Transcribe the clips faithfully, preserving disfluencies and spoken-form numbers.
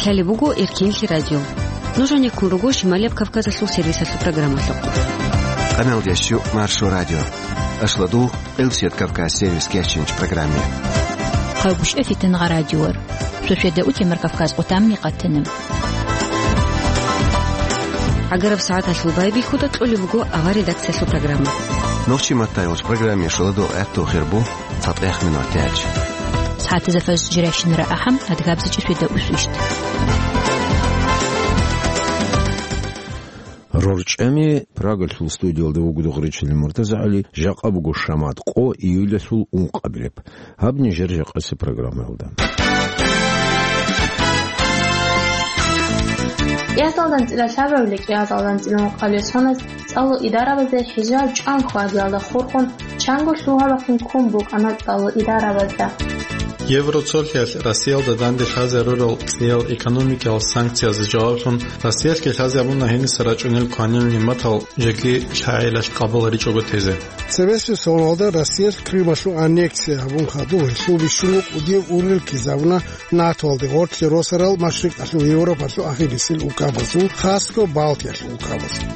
Гьале буго Эркенлъи радио. Нуж гьанеккун руго Шималияб Кавказалъул сервисалъул программалъухъ. Къамел дещу Маршо радио. Ашладу Къилсият Кавказ сервис кечинч программе. Хъавгушев Фитнагъа радиор. Шошеда утемар Кавказ къутамни къатана. Агараб сагӀаталъул байбихьуда кьолеб буго авар редакциялъул программа. Нохчи маттайолч программе шуладу гӀатту хирбу. ЦатӀех минут тяч. СагӀатазда фаз жирайщинара ахӀам, адгабзичӀи сведа усвищт. РорчӀами Прагалъул студиялда вугода гъричилин МуртазагӀали, жакъа буго шамат къо июлалъул ункъабилеб. Гьаб нижер жакъаси программаялда. КӀиазалдан цӀила лъабавиле кӀиазалдан цӀила ункъабилеб соназ ЦӀалул идарабазда хӀижаб чӀван хьвадиялда хурхун, чанго лъугьа-бахъин ккун букӀана цӀалул идарабазда. Евроцолъиялъ Россиялда данде лъазе рурал цӀиял экономикиял санкциязда жаваблъун, Россиялъги лъазе абуна гьениса рачӀунел кванил нигӀматал жеги лъагӀелалъ къабуларичӀого тезе. Цебесеб соналда Россиялъ Крымалъул аннексия гьабун хадуб, гьелъул бищунго кӀудияб ургъел ккезабуна НАТОялде, гъорлъе росарал машрикъалъул Европалъул ахирисел улкабазул, хасго Балтиялъул улкабазул.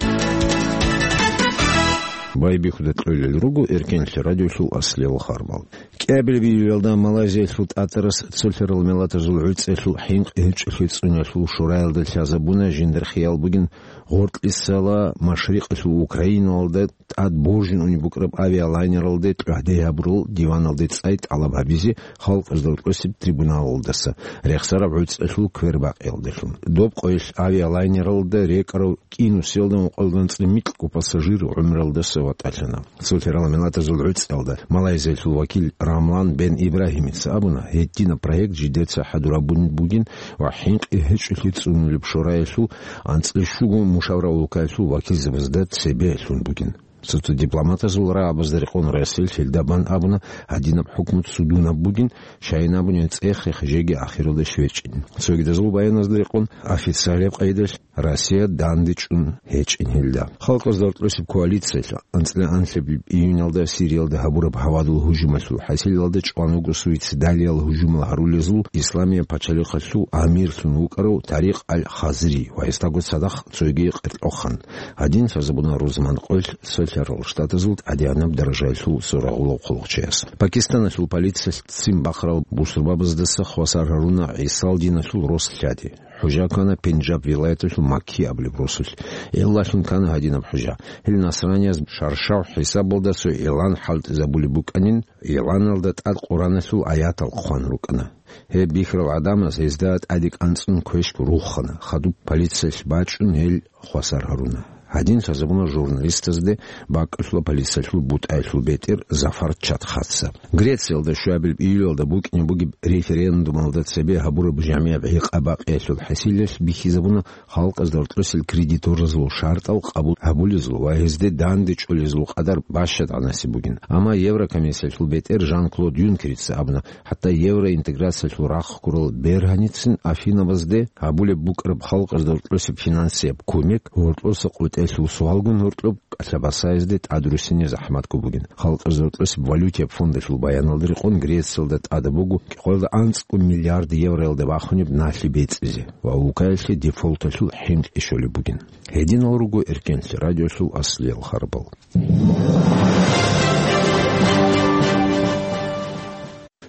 Байбихьуда кьолел руго Эркенлъи радиолъул аслиял харбал. КӀиабилеб июлалда Малайзиялъул тӀатӀарас цолъарал миллатазул гӀуцӀиялъул хӀинкъи гьечӀолъи цӀуниялъул шураялда лъазабуна жиндир хиял бугин гъоркьисала машрикъалъул Украиналда тӀад боржун унеб букӀараб авиалайнералде тӀагӀде гьабурал диваналде цӀай тӀалаб гьабизе халкъазда рокьосеб трибуналалдаса рехсараб гӀуцӀалъул квербакъиялдалъун. Доб къоялъ авиалайнералда рекӀарав кӀинусиялда ункъоялда анцӀила микьго пассажир гӀумралдаса ватӀалъана. Цолъарал миллатазул гӀуцӀиялда Малайзиялъул вакил Рамлан бен Ибрагьимица абуна, гьединаб проект жидеца хӀадурабун бугин ва хӀинкъи гьечӀолъи цӀунулеб шураялъул анцӀила щуго мушавра улкаялъул вакилзабазда цебе лъун бугин. Цо-цо дипломатазул рагӀабазда рекъон Россиялъ гьелда бан абуна, гьадинаб хӀукму цудунаб бугин, щайин абуни цӀех-рех жеги ахиралда щвечӀин. Цогидазул баяназда рекъон, официалияб къайдалъ Россия дандечӀун гьечӀин гьелда. Халкъазда рокьосеб коалициялъ анцӀила анлъабилеб июньалда Сириялда гьабураб гьавадул гьужумалъул хӀасилалда чӀван вуго суицидалиял гьужумал гьарулезул Исламияб пачалихъалъул амирлъун вукӀарав Тарикъ аль-Хазри ва гьесдаго цадахъ цоги къеркьохъан. Гьадин лъазабуна рузман къоялъ Цолъарал Штатазул тӀадегӀанаб даражаялъул сорагъулав хъулухъчияс. Пакистаналъул полициялъ ццин бахъарал бусурбабаздаса хвасар гьаруна ГӀисал диналъул рос лъади. ХӀужа ккана Пенджаб вилаяталъул Макки абулеб росулъ. Гьелалъун ккана гьадинаб хӀужа. Гьел насранияз шаршав хӀисабалда цо игӀлан хӀалтӀизабулеб букӀанин, игӀланалда тӀад Къураналъул аятал хъван рукӀана. Гьеб бихьарал гӀадамаз гьезда тӀаде кӀанцӀун квешго руххана, хадуб полициялъ бачӀун гьел хвасар гьаруна. Гьадин лъазабуна журналистазде бакӀалъула полициялъул бутӀаялъул бетӀер Зафар Чатхатса. Грециялда щуабилеб июлалда букӀине бугеб референдумалда цебе гьабураб жамигӀаб гӀикъа-бакъиялъул хӀасилалъ бихьизабуна халкъазда рокьосел кредиторазул шартӀал къабул гьабулезул ва гьезде данде чӀолезул къадар бащад гӀанасеб бугин. Амма Еврокомиссиялъул бетӀер Жан-Клод Юнкерица абуна, хӀатта евроинтеграциялъул рахъ ккурал бергьаницин Афинабазде гьабулеб букӀараб халкъазда гьоркьосеб финансияб кумек гьоркьоса къотӀелъул суалгун гьоркьоб кӀалъабасаязде тӀадруссине захӀматго бугин. Халкъазда гьоркьосеб валютияб фондалъул баяналда рекъон Грециялда тӀадаб буго кӀикъоялда анцӀго миллиард евроялда бахунеб налъи бецӀизе ва улкаялъе дефолталъул хӀинкъи щолеб бугин. Гьединал руго Эркенлъи радиолъул аслиял харбал.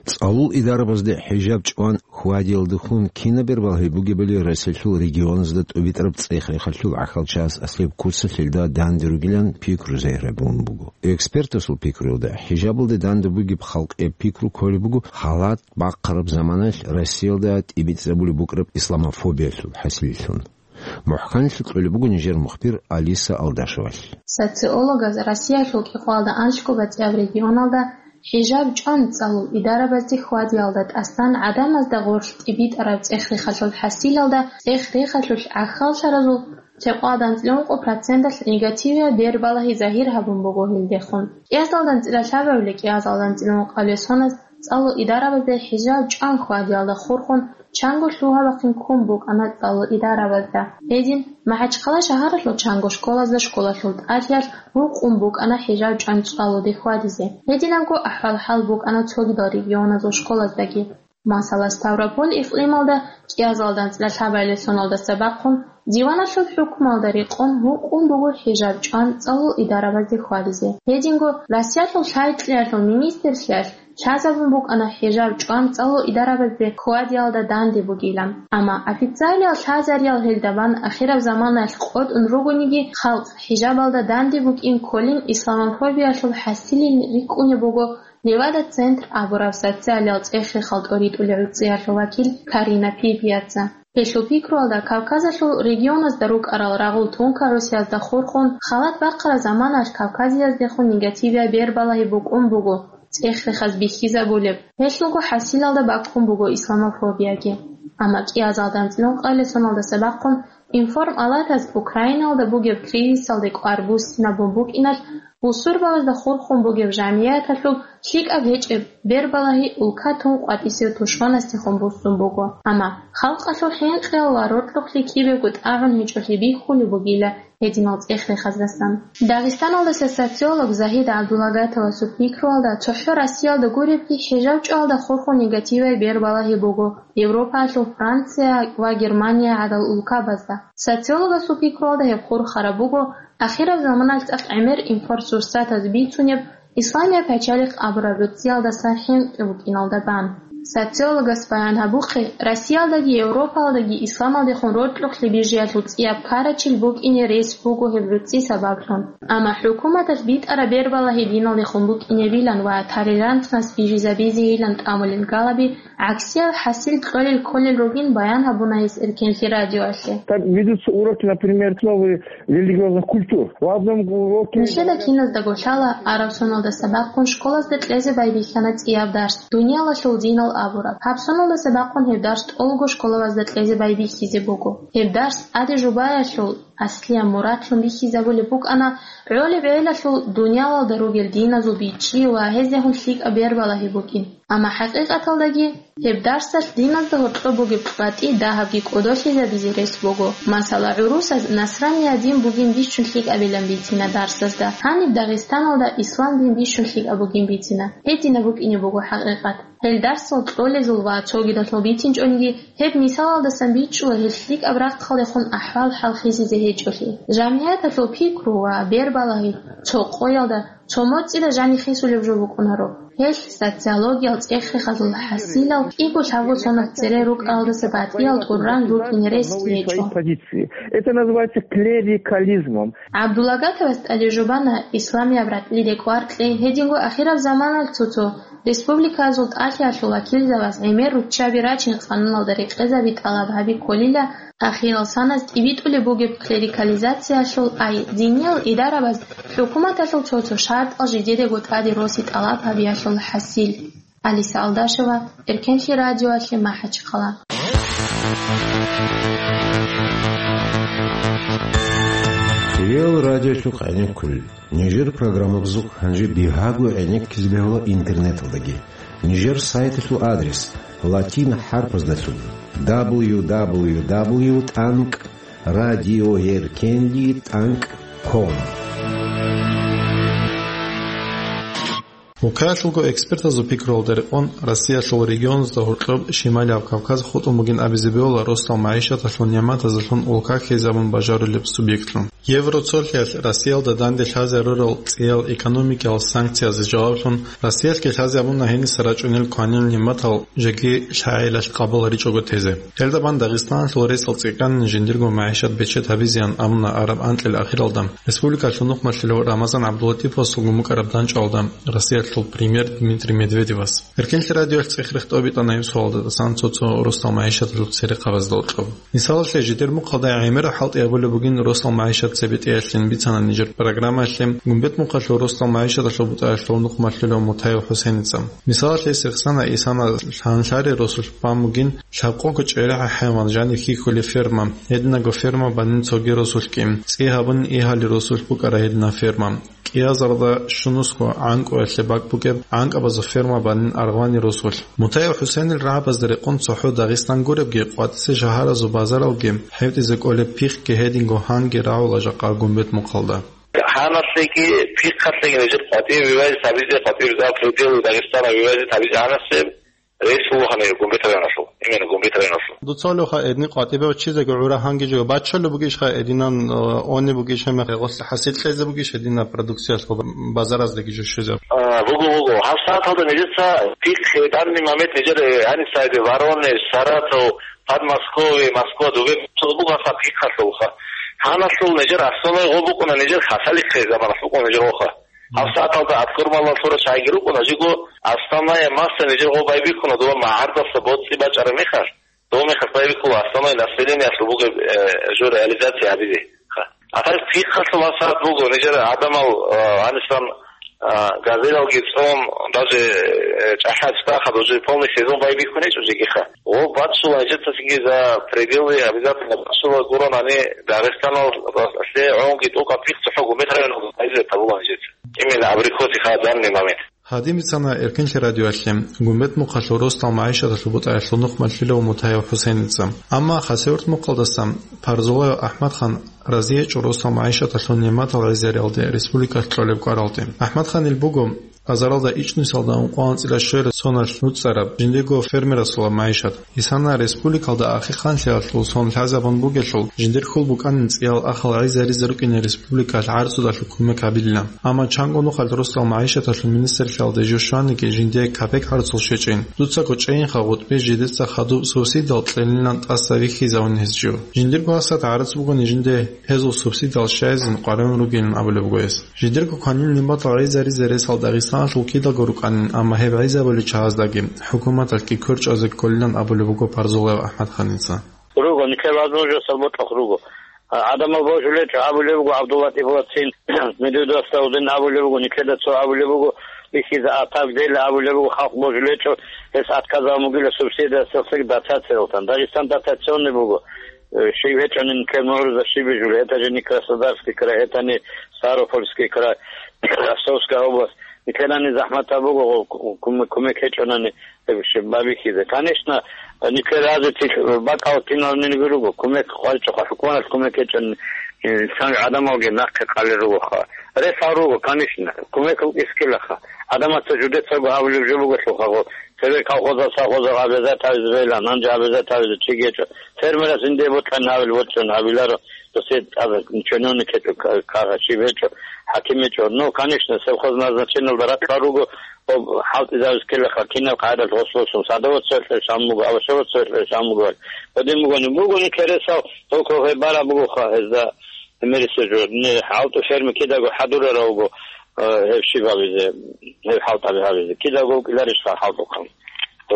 ЦӀалул идарабазде хӀижаб чӀван хьвадиялдехун кинаб бербал гьеб бугебали Россиялъул регионазда тӀубитӀараб цӀех-рехалъул гӀахьалчагӀаз аслияб куцалъ гьелда данде ругилан пикру загьирабун буго. Экспертасул пикруялда, хӀижабалде данде бугеб халкъияб пикру кколеб буго халат бахъараб заманаялъ Россиялда тӀибитӀизабулеб букӀараб исламофобиялъул хӀасилилъун. МухӀканлъи кьолеб буго нижер мухбир Алиса Алдашевалъ. Социологаз Россиялъул кӀикъоялда анлъго батӀияб регионалда хӀижаб чӀван цӀалул идарабазде хьвадиялда тӀасан гӀадамазда гъорлъ тӀибитӀараб цӀех-рехалъул хӀасилалда цӀех-рехалъулъ гӀахьаллъаразул лъикъоялда анцӀила ункъо проценталъ негативияб бербалагьи загьир гьабун буго гьелдехун. КӀиазалда анцӀила лъабавиле кӀиазалда анцӀила ункъабилеб соназ ЦӀалул идарабазда хӀижаб чӀван хьвадиялда хурхун, чанго лъугьа-бахъин ккун букӀана цӀалул идарабазда. Гьедин, МахӀачхъала шагьаралъул чанго школазда школалъул тӀалъиялъ рукъун букӀана хӀижаб чӀван цӀалулде хьвадизе. Гьединабго ахӀвал-хӀал букӀана цогидал регионазул школаздаги. Масала, Ставрополь икълималда кӀиазалда анцӀила лъабабилеб соналдаса бахъун диваналъул хӀукмалда рекъон гьукъун буго хӀижаб чӀван цӀалул идарабазде хьвадизе. Гьединго Россиялъул лъай-кьеялъул министрлъиялъ лъазабун букӀана хӀижаб чӀван цӀалул идарабазде хьвадиялда данде бугилан. Амма официалиял лъазариял гьелда бан ахираб заманаялъ къотӀун ругониги, халкъ хӀижабалда данде букӀин кколин исламофобиялъул хӀасилин рикӀкӀунеб буго Левада-центр абураб социалиял цӀех-рехал тӀоритӀулел гӀуцӀиялъул вакил Карина Пипиаца. Гьелъул пикруялда, Кавказалъул регионазда рукӀарал рагъул тункагӀусиязда хурхун, халат бахъараб заманалъ Кавказияздехун негативияб бербалагьи букӀун буго цӀех-рехаз бихьизабулеб. Гьелъулго хӀасилалда баккун буго исламофобияги. Амма кӀиазалда анцӀила ункъабилеб соналдаса бахъун Информ-алатас Украиналда бугеб кризисалде кӀвар буссинабун букӀиналъ, бусурбабазда хурхун бугеб жамгӀияталъул лъикӀаб гьечӀеб бербалагьи улка тун къватӀисев тушманасдехун буссун буго. Амма халкъалъул хӀинкъиял ва рокьухълъи кибего тӀагӀун гьечӀолъи бихьулеб бугила гьединал цӀех-рехаздасан. Дагъистаналдаса социолог Загьид ГӀабдулагатовасул пикруялда, цохӀо Россиялда гуребги, хӀижаб чӀвалда хурхун негативай бербалагьи буго Европаялъул Франция ва Германия гӀадал улкабазда. Социологасул пикруялда гьеб хурхараб буго ахираб заманалъ цӀакъ гӀемер информсурсатаз бицунеб исламияб пачалихъ абураб гӀуцӀиялдаса хӀинкъи букӀиналда бан. Социологас баян гьабухъе, Россиялдаги Европалдаги исламалдехун рокьухълъи бижиялъул цӀияб ккарачил букӀине рес буго гьеб гӀуцӀи сабаблъун. Амма хӀукуматалъ битӀараб бербалагьи диналдехун букӀинебилан ва толерантность бижизабизейилан тӀамулел галаби гӀаксиял хӀасил кьолел кколел ругин баян гьабуна гьес Эркенлъи радиоялъе. Так ведутся уроки, например, основы религиозных культур. В одном уроке... Нилъеда киназдаго лъала, араб соналдаса бахъун школазда кьезе байбихьана цӀияб дарс, дуниялалъул динал абураб. Гьаб соналдаса бахъун гьеб дарс тӀолго школабазда кьезе байбихьизе буго. Гьеб дарс тӀаде жубаялъул аслияб мурадлъун бихьизабулеб букӀана гӀолеб гӀелалъул дуниялалда ругел диназул бичӀчӀи ва гьездехун лъикӀаб бербалагьи букӀин. Амма хӀакъикъаталдаги гьеб дарсалъ диназда гьоркьоб бугеб къватӀи дагьабги кӀодолъизабизе рес буго. Масала, гӀурусаз насрания дин бугин бищун лъикӀабилан бицина дарсазда, гьаниб Дагъистаналда ислам дин бищун лъикӀаб бугин бицина. Гьединаб букӀине буго хӀакъикъат. Гьел дарсал кьолезул ва цогидалъул бицинчӀониги, гьеб мисалалдасан бичӀчӀула гьел лъикӀаб рахъалдехун ахӀвал-хӀал хисизе гьечӀолъи. Жамгьияталъул пикру ва бербалагьи цо къоялда, цо моцӀида жанихисулеб жо букӀунаро. Гьелъ социологиял цӀех-рехазул хӀасилал кӀиго лъабго соназ цере рукӀаралдаса батӀиял тӀуран рукӀине рес гьечӀо. Позиции. Это называется клерикализмом. ГӀабдулагатовас тӀаде жубана исламияб ракьиде кӀвар кьей, гьединго ахираб заманалъ цо-цо республикаялъул тӀалъиялъул вакилзабаз гӀемер руччаби рачин къануналда рекъезаби тӀалаб гьаби кколила, ахирал саназ тӀибитӀулеб бугеб клерикализациялъул, ай, диниял идарабаз хӀукуматалъул цо-цо шартӀал жидедаго тӀаде роси тӀалаб гьабиялъул хӀасил. Алиса Алдашева, Эркенлъи радиоялъе, МахӀачхъала. Кирилл радиолъухъ гӀенеккулел. Нижер программабазухъ гьанже бигьаго гӀенеккизе бегьула интернеталдаги. Нижер сайталъул адрес: латин хӀарпаздалъун: дабл ю дабл ю дабл ю тӀанкӀ радиоэркенли тӀанкӀ ком. Улкаялъулго экспертазул пикруялда рекъон, Россиялъул регионазда гьоркьоб Шималияб Кавказ хутӀун бугин абизе бегьула росдал магӀишаталъул нигӀматазалъун улка хьезабун бажарулеб субъектлъун. Евроцолъиялъ Россиялда данде лъазе рурал цӀиял экономикиял санкциязда жаваблъун, Россиялъги лъазе гьабуна гьениса рачӀунел кванил нигӀматал жеги лъагӀелалъ къабуларичӀого тезе. Гьелда бан Дагъистаналъул ресал цӀикӀкӀанин жиндирго магӀишат бечед гьабизеян абуна араб анкьил ахиралда республикалъул нухмалъулев Рамазан ГӀабдулатиповасул гумукараб данчӀвалда Россиялъул премьер Дмитрий Медведевас. Эркенлъи радиоялъ цӀех-рех тӀобитӀана гьеб суалда тӀасан цо-цо росдал магӀишаталъул церехъабазда гьоркьоб. Мисалалъе, жидер мухъалда гӀемераб хӀалтӀи гьабулеб бугин росдал магӀишат цебетӀеялъин бицана нижер программаялъе Гумбет мухъалъул росдал магӀишаталъул бутӀаялъул нухмалъулев Мутаев ХӀусеница. Мисалалъе, Сихсана Исана лъанлъари росулъ бан бугин лъабкъого чӀерегӀа хӀайван жанив хьихьулев ферма, гьединаго ферма банин цоги росулъги, цӀи гьабунин игьали росулъ букӀара гьединаб ферма. КӀиазарда щунусго гӀанкӀуялъе бакӀ букӀеб гӀанкӀабазул ферма банин аргъвани росулъ. Мутаев ХӀусенил рагӀабазда рекъон цохӀо Дагъистан гуребги, къватӀисе шагьаразул базаралги, хӀетӀизе кӀолеб пихъги гьединго гьанги рагӀула жакъа Гумбет мухъалда. Гьанаслъеги, пихъалъеги нижер къватӀир вивайзе табизе, къватӀир за пределы Дагестана вивайзе табизе гьанаслъеб. рейс вугьана Гумбет районалъул, именно Гумбет районалъул. Дуца гьале гьедин къватӀибе ваччизеги гӀура гьанги жо баччалеб бугищха гьединан, э, они бугищ гьеб мехалъ гъорлъ хӀасил кьезе бугищ гьединаб продукциялъул базараздеги жо щвезе? А, буго, буго. ГьабсагӀаталда нижеца пихъ данный момент нижер, э, гьаниб сайде Воронеж, Саратов, Подмосковье, Москва, дуге буго гьабсагӀат пихъалъулха. Гьаналъул нижер основной гъо букӀуна нижер хасалихъе заманалъ букӀуна нижер гъоха. ГьабсагӀаталда аскӀор малалъура чагӀиги рукӀуна, жиго основная масса нижер гъо байбихьуна дова магӀардаса боцӀи бачӀараб мехалъ. Дов мехалъ байбихьула основной населениялъул бугеб, э, жо реализация гьабизе. Ха. Ахир пихъалъул гьабсагӀат буго, нижер гӀадамал, э, гьанисан, э, газелалги цӀун, даже, э, чӀахӀиял чӀахъад уже полный сезон байбихьун гьечӀо жегиха. Гъо баччула нижецасинги за пределы обязательно баччула гуран гьани Дагъистаналъе гӀунги тӀокӀаб пихъ цохӀо Гумбет районалда байзе гьабула нижеца. Именно абрикосиха данный момент. Гьадин бицана Эркенлъи радиоялъе Гумбет мухъалъул росдал магӀишаталъул бутӀаялъул нухмалъилав Мутаев ХӀусейница. Амма Хасавюрт мухъалдаса Парзулаев АхӀмадхан разиячӀо росдал магӀишаталъул нигӀматал гӀезариялде республикалъ кьолеб кӀваралде. АхӀмадханил буго азаралда ичӀнусиялда ункъоялда анцӀила щвелалъ соналъ нуцӀараб, жиндирго фермерасул магӀишат. Гьесана республикалда ахирханлъиялъул сон лъазабун бугелъул, жиндир хьул букӀанин цӀиял ахал гӀезаризе рукӀине республикалъ гӀарцудалъул кумек гьабилилан. Амма чанго нухалъ росдал магӀишаталъул министрлъиялде жо щваниги жиндие капек гӀарцул щвечӀин. Дуцаго чӀейинха гъутӀби жидеца хадуб субсидиял кьелилан тӀаса вихьизавун гьез жо. Жиндирго гьасат гӀарц бугони жинде гьезул субсидиял щайизин къваригӀун ругилан абулеб буго гьес. Жидерго кванил нигӀматал гӀезаризе ресал Дагъистаналъул кидаго рукӀанин, амма гьеб гӀезабулел чагӀаздаги, хӀукуматалъги кверчӀвазе кколилан абулеб буго Парзулаев АхӀмадханица. Руго, нилъер возможностал бокьухъ руго. А, гӀадамал божулечӀо абулеб буго, ГӀабдуллатӀиповацин, Медведевасда гьудин абулеб буго, нилъеда цо абулеб буго, бихьизе атаб дела абулеб буго, халкъ божулечӀо, гьес отказав мугила субсидия, сесцӀи дотациялдасан. Дагъистан дотационный буго. Э, щиб гьечӀонин ккел мугӀрузда щиб бижулеб, это же не Краснодарский край, это не Ставропольский край, Ростовская область. Нилъерани захӀматаб буго, гъо-, кум-, кумек гьечӀонани, э, щиб бабихьизе. Конечно, нилъер разицил бакӀал киналниги руго, кумек хъвалчӀоха, хӀукуматалъ кумек гьечӀон, э, инсан гӀадамалги нахъе къалел ругоха. Ресал руго, конечно, кумек рукӀискилаха. ГӀадамаца жудецаго гьабулеб жо бугелъулха, гъо-, Цебе колхозал, совхозал обязать гьабизе бегьилан, гьанже обязать гьабизе чиги гьечӀо. Фермерас жинде бокьани гьабил бокьун гьабиларо, досие тӀад чиновник гьечӀо, ка-, кагъа щиб гьечӀо, хӀаким гьечӀо. Ну, конечно, совхоз назначениялда ракьал руго, об хӀалтӀизавизе ккелаха, кинаб къагӀидалъ гъос босун, садоводство гьечӀо, шам буго, овощеводство гьечӀо, шам буго. Гьедин бугони, бугони кересал, только гьеб бараб бугоха гьезда. Гьемерисезул, не, хӀалтӀу ферми кидаго хӀадурарав вуго, э, гьеб щиб гьабизе, гьеб хӀалтӀаби гьабизе. Кидаго вукӀиларищха хӀалтӀухъан?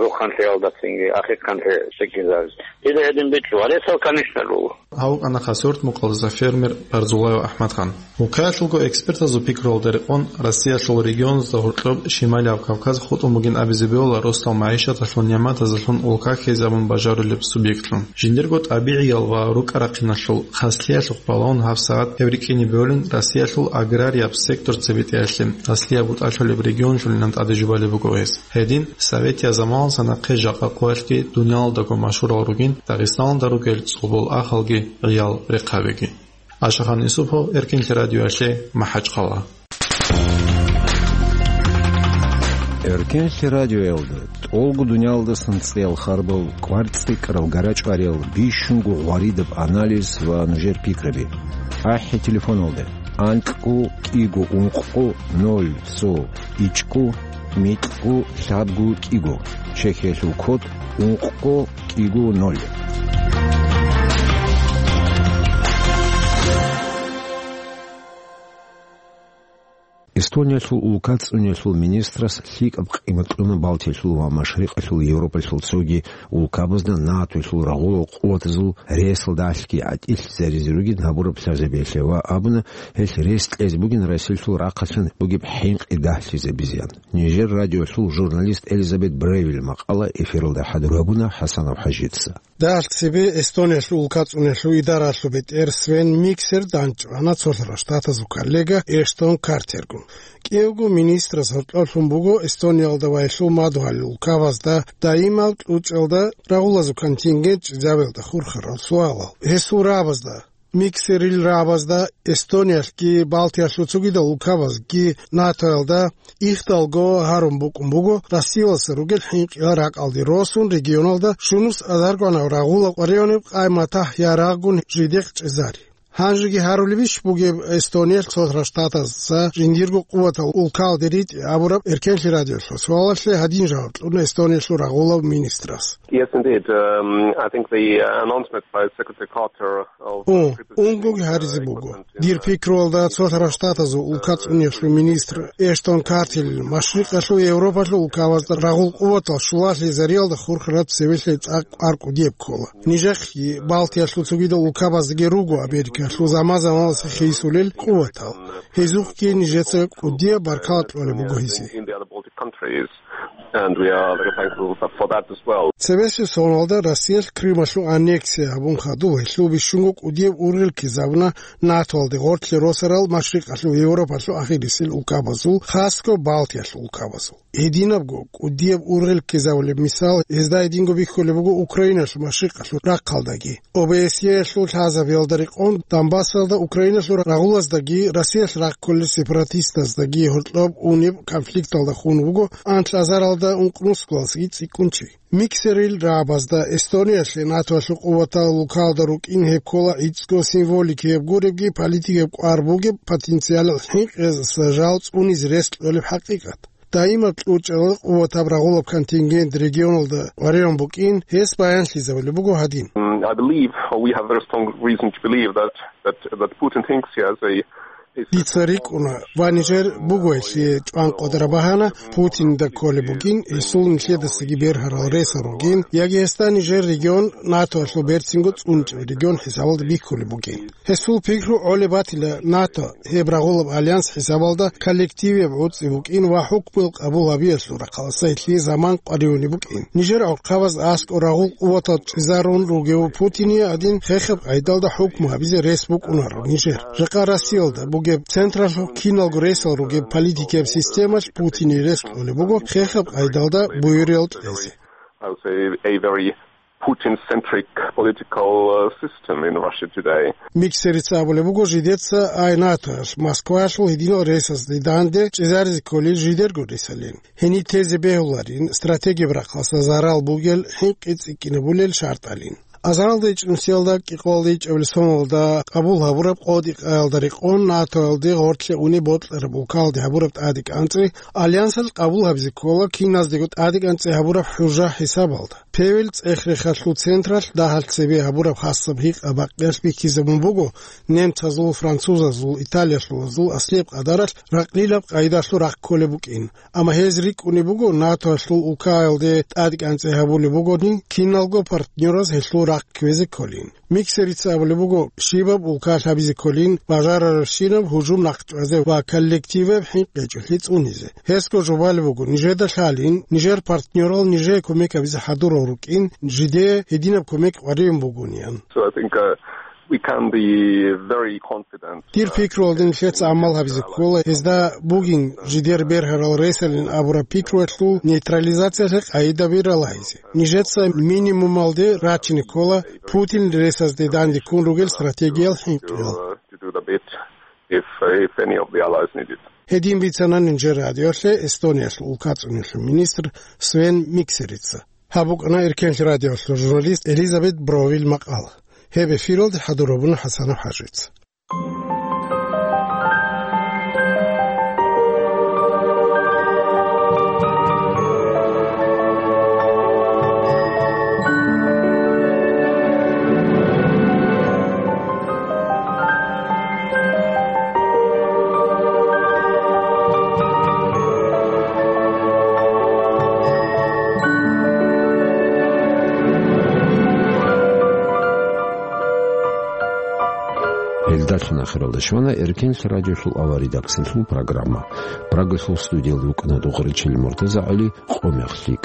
Рухъанлъиялдацинги, ахикъанлъи секӀинзабизе. Дида гьедин бичӀчӀу, ва ресал, конечно, руго. Гьав вукӀана Хасавюрт мухъалдаса фермер Парзулаев АхӀмадхан. Улкаялъулго экспертазул пикруялда рекъон, Россиялъул регионазда гьоркьоб Шималияб Кавказ хутӀун бугин абизе бегьула росдал магӀишаталъул нигӀматазулъун улка хьизабун бажарулеб субъектлъун. Жиндирго тӀабигӀиял ва рукӀа-рахъиналъул хаслъиялъухъ балагьун гьабсагӀат гьеб рикӀкӀине бегьулин Россиялъул аграрияб сектор цебетӀеялъе, аслияб бутӀалъулеб регионлъулилан тӀаде жубалеб буго гьес. Гьедин, Советиял заманалдаса нахъе жакъа къоялъги дуниялалдаго машгьурал ругин Дагъистаналда ругел цӀолбол ахалги гӀиял рехъабиги. Ашахан Юсупов, Эркинлъи радиоялъе, МахӀачхъала. Эркенлъи радиоялда тӀолго дуниялдасан цӀеял харбал, кӀвар цӀикӀкӀарал гарачӀвариял, бищунго гъваридаб анализ ва нужер пикраби. АхӀи телефоналда: анкьго кӀиго ункъго ноль цо ичӀго микьго лъабго кӀиго, чехьиялъул код ункъго кӀиго ноль. Эстониялъул улка цӀуниялъул министрас лъикӀаб къимат кьуна Балтиялъул ва Машрикъалъул Европалъул цоги улкабазда НАТОялъул рагъулал къуватазул ресалда гӀадатӀилъ заризаругин гьабураб лъазабиялъе ва абуна, гьелъ рес кьезе бугин Россиялъул рахъалъан бугеб хӀинкъи дагьлъизабизеян. Нижер радиоялъул журналист Элизабет Бревиль макъала эфиралда хӀадур гьабуна ХӀасанов ХӀажица. Дагьалъ цебе Эстониялъул улка цӀуниялъул идаралъул бетӀер Свен Миксер дандчӀвана цолъарал штатазул коллега Эштон Картергун. КӀиявго министрас гьоркьоблъун буго Эстониялда ва гьелъул мадугьалил улкабазда даимал кьучӀалда рагъулазул контингент чӀезабиялда хурхарал суалал. Гьесул рагӀабазда Миксерил рагӀабазда Эстониялъги Балтиялъул цогидал улкабазги НАТОялда ихдалго гьарун букӀун буго Россиялдаса ругел хӀинкъиял ракӀалде росун регионалда шунус азаргванав рагъулаб къваригӀунеб къай-матахӀ ярагъгун жидехъ чӀезари. Гьанжеги гьарулебищ бугеб Эстониялъ Цолъарал Штатазда жиндирго къуватал улкалде ритӀи абураб Эркенлъи радиолъул суалалъе гьадин жаваб кьуна Эстониялъул рагъулаб министрас. Yes, indeed. Um, I think the, uh, announcement by Secretary Carter of О, унгоги гьаризе буго. Дир пикруялда Цолъарал Штатазул улка цӀуниялъул министр Эштон Картел Машрикъалъул Европалъул улкабазда рагъул къуватал щулалъизариялда хурхараб цевелъе цӀакъ кӀвар кӀудияб ккола. Нижехъги Балтиялъул цогидал улкабаздаги руго Америкалъул заман-заманалъ хисулел къуватал. Гьезухъги нижеца кӀудияб баркала кьолеб буго гьезие. In the other Baltic countries, and we are very thankful for, for that as well. Цебесеб соналда Россиялъ Крымалъул аннексия гьабун хадуб гьелъул бищунго кӀудияб ургъел ккезабуна НАТОялде гъорлъе росарал Машрикъалъул Европалъул ахирисел улкабазул, хасго Балтиялъул улкабазул. Гьединабго кӀудияб ургъел ккезабулеб мисал гьезда гьединго бихьулеб буго Украиналъул машрикъалъул рахъалдаги. ОБСЕялъул лъазабиялда рекъон Донбассалда Украиналъул рагъулаздаги Россиялъ рахъ кколел сепаратистаздаги гьоркьоб унеб конфликталда хун вуго анлъазаралда ункънусгоялдасаги цӀикӀкӀун чи. Миксерил рагӀабазда Эстониялъе НАТОялъул къуватал улкалда рукӀин гьеб ккола гӀицӀго символикияб гуребги политикияб кӀвар бугеб потенциалал хӀинкъиялдаса жал цӀунизе рес кьолеб хӀакъикъат. Даимаб кьучӀал къуватаб рагъулаб контингент регионалда къваригӀун букӀин, гьес баянлъизабулеб буго гьадин. Mm, I believe, or we have very strong reason to believe that, that, that Putin thinks he has a, a Дица рикӀкӀуна ва нижер буго гьелъие чӀван къваригӀараб багьана, Путинда кколеб бугин, гьесул нилъедасаги бергьарал ресал ругин, яги гьесда нижер регион НАТОялъул берцинго цӀунчӀеб регион хӀисабалда бихьулеб бугин. Гьесул пикру гӀолеб батила НАТО, гьеб рагъулаб альянс хӀисабалда коллективияб гӀуцӀи букӀин ва хӀукмуял къабул гьабиялъул рахъалдаса гьелъие заман къваригӀунеб букӀин. Нижер гӀурхъабаз аскӀор рагъул къуватал чӀезарун ругев Путиния гьадин хехаб къайдалда хӀукму гьабизе рес букӀунаро нижер. Жакъа Россиялда бугеб централъухъ киналго ресал ругеб политикияб системалъ Путиния рес кьолеб буго хехаб къайдалда буюриял кьезе. I would say a very Putin-centric political, uh, system in Russia today. Миксерица абулеб буго жидеца ай НАТОялъ Москваялъул гьединал ресазде данде чӀезаризе кколел жидерго ресалин. Гьениб тезе бегьуларин, стратегияб рахъалдаса зарал бугел, хӀинкъи цӀикӀкӀинабулел шартӀалин. Азаралда ичӀнусиялда кӀикъоялда ичӀабилеб соналда къабул гьабураб къо-дакъаялда рекъон НАТОялде гъорлъе унеб бокьараб улкалде гьабураб тӀадекӀанцӀи альянсалъ къабул гьабизе ккола киназдего тӀадекӀанцӀи гьабураб хӀужа хӀисабалда. Певел цӀех-рехалъул централъ дагьалъ цебе гьабураб хасаб гьикъа-бакъиялъ бихьизабун буго, немцазул, французазул, италиялъулазул аслияб къадаралъ ракълилаб къайдалъул рахъ кколеб букӀин. Амма гьез рикӀкӀунеб буго, НАТОялъул улкаялде тӀадекӀанцӀи гьабулеб бугони, киналго партнераз гьелъул рахъ кквезе кколин. Миксерица абулеб буго, щибаб улкалъ гьабизе кколин бажарарабщинаб гьужум нахъчӀвазе ва коллективаб хӀинкъичӀолъи цӀунизе. Гьесго жубалеб буго, нижеда лъалин, нижер партнерал нижее кумек гьабизе хӀадурал рукӀин, жиде гьединаб кумек къваригӀун бугониан. So I think, uh, we can be very confident. Дир пикруялда нилъеца гӀамал гьабизе ккола, гьезда бугин жидер бергьарал ресалин абураб пикруялъул нейтрализациялъе къайдаби ралагьизе. Нижеца минимумалде рачине ккола Путин ресазде данде ккун ругел стратегиял хӀинкъиял. To, uh, to do the bit if, if any of the allies need it. Гьедин бицана нижер радиолъе Эстониялъул улкацӀуниялъул министр Свен Миксерица. Гьаб букӀана Эркенлъи радиолъул журналист Элизабет Бровил макъала. Гьеб эфиралде хӀадур гьабуна ХӀасанов ХӀажица. Гьелдалъун ахиралда щвана Эркенлъи радиолъул авария редакциялъул программа. Прагалъул студиялда вукӀана Духаричил МуртазагӀали. Къо мехлъи.